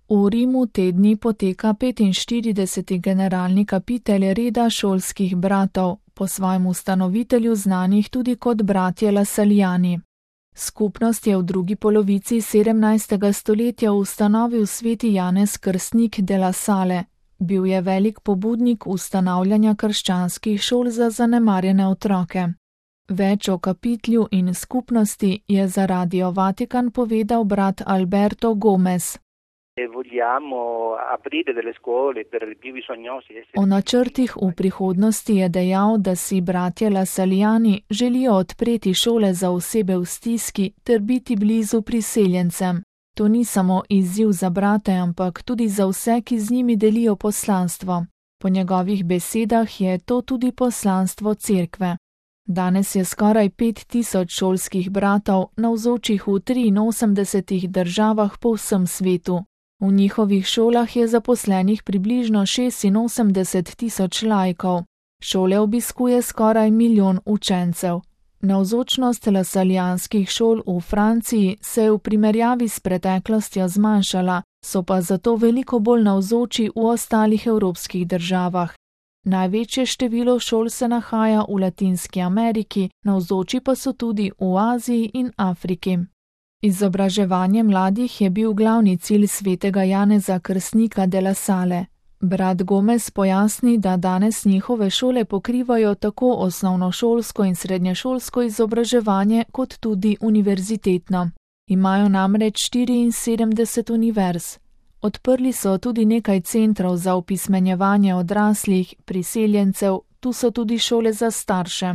V Rimu te dni poteka 45. generalni kapitelj reda šolskih bratov, po svojem ustanovitelju znanih tudi kot bratje Lasaljani. Skupnost je v drugi polovici 17. stoletja ustanovil sveti Janez Krstnik de La Salle. Bil je velik pobudnik ustanavljanja krščanskih šol za zanemarjene otroke. Več o kapitlju in skupnosti je za Radio Vatikan povedal brat Alberto Gomez. O načrtih v prihodnosti je dejal, da si bratje Lasaljani želijo odpreti šole za osebe v stiski ter biti blizu priseljencem. To ni samo izziv za brate, ampak tudi za vse, ki z njimi delijo poslanstvo. Po njegovih besedah je to tudi poslanstvo cerkve. Danes je skoraj 5000 šolskih bratov navzočih v 83 državah po vsem svetu. V njihovih šolah je zaposlenih približno 86 000 laikov. Šole obiskuje skoraj 1 milijon učencev. Navzočnost lasaljanskih šol v Franciji se je v primerjavi s preteklostjo zmanjšala, so pa zato veliko bolj navzoči v ostalih evropskih državah. Največje število šol se nahaja v Latinski Ameriki, navzoči pa so tudi v Aziji in Afriki. Izobraževanje mladih je bil glavni cilj svetega Janeza Krstnika de La Salle. Brat Gomez pojasni, da danes njihove šole pokrivajo tako osnovnošolsko in srednješolsko izobraževanje kot tudi univerzitetno. Imajo namreč 74 univerz. Odprli so tudi nekaj centrov za opismenjevanje odraslih, priseljencev, tu so tudi šole za starše.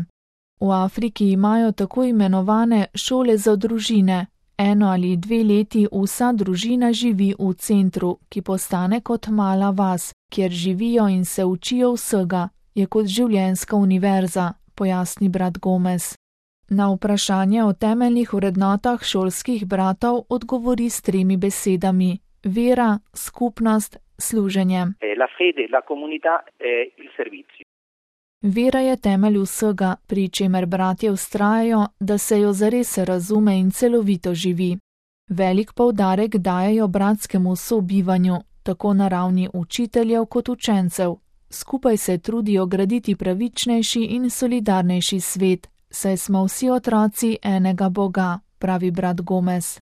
V Afriki imajo tako imenovane šole za družine. 1 ali 2 leti vsa družina živi v centru, ki postane kot mala vas, kjer živijo in se učijo vsega, je kot življenjska univerza, pojasni brat Gomez. Na vprašanje o temeljnih vrednotah šolskih bratov odgovori s 3 besedami: vera, skupnost, služenje. Vera je temelj vsega, pri čemer bratje vztrajajo, da se jo zares razume in celovito živi. Velik poudarek dajejo bratskemu sobivanju, tako na ravni učiteljev kot učencev. Skupaj se trudijo graditi pravičnejši in solidarnejši svet, saj smo vsi otroci enega Boga, pravi brat Gomez.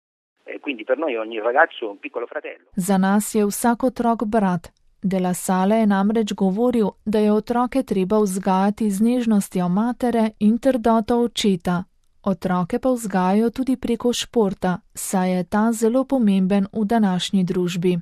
Za nas je vsak otrok brat. De La Salle je namreč govoril, da je otroke treba vzgajati z nežnostjo matere in trdoto očeta. Otroke pa vzgajajo tudi preko športa, saj je ta zelo pomemben v današnji družbi.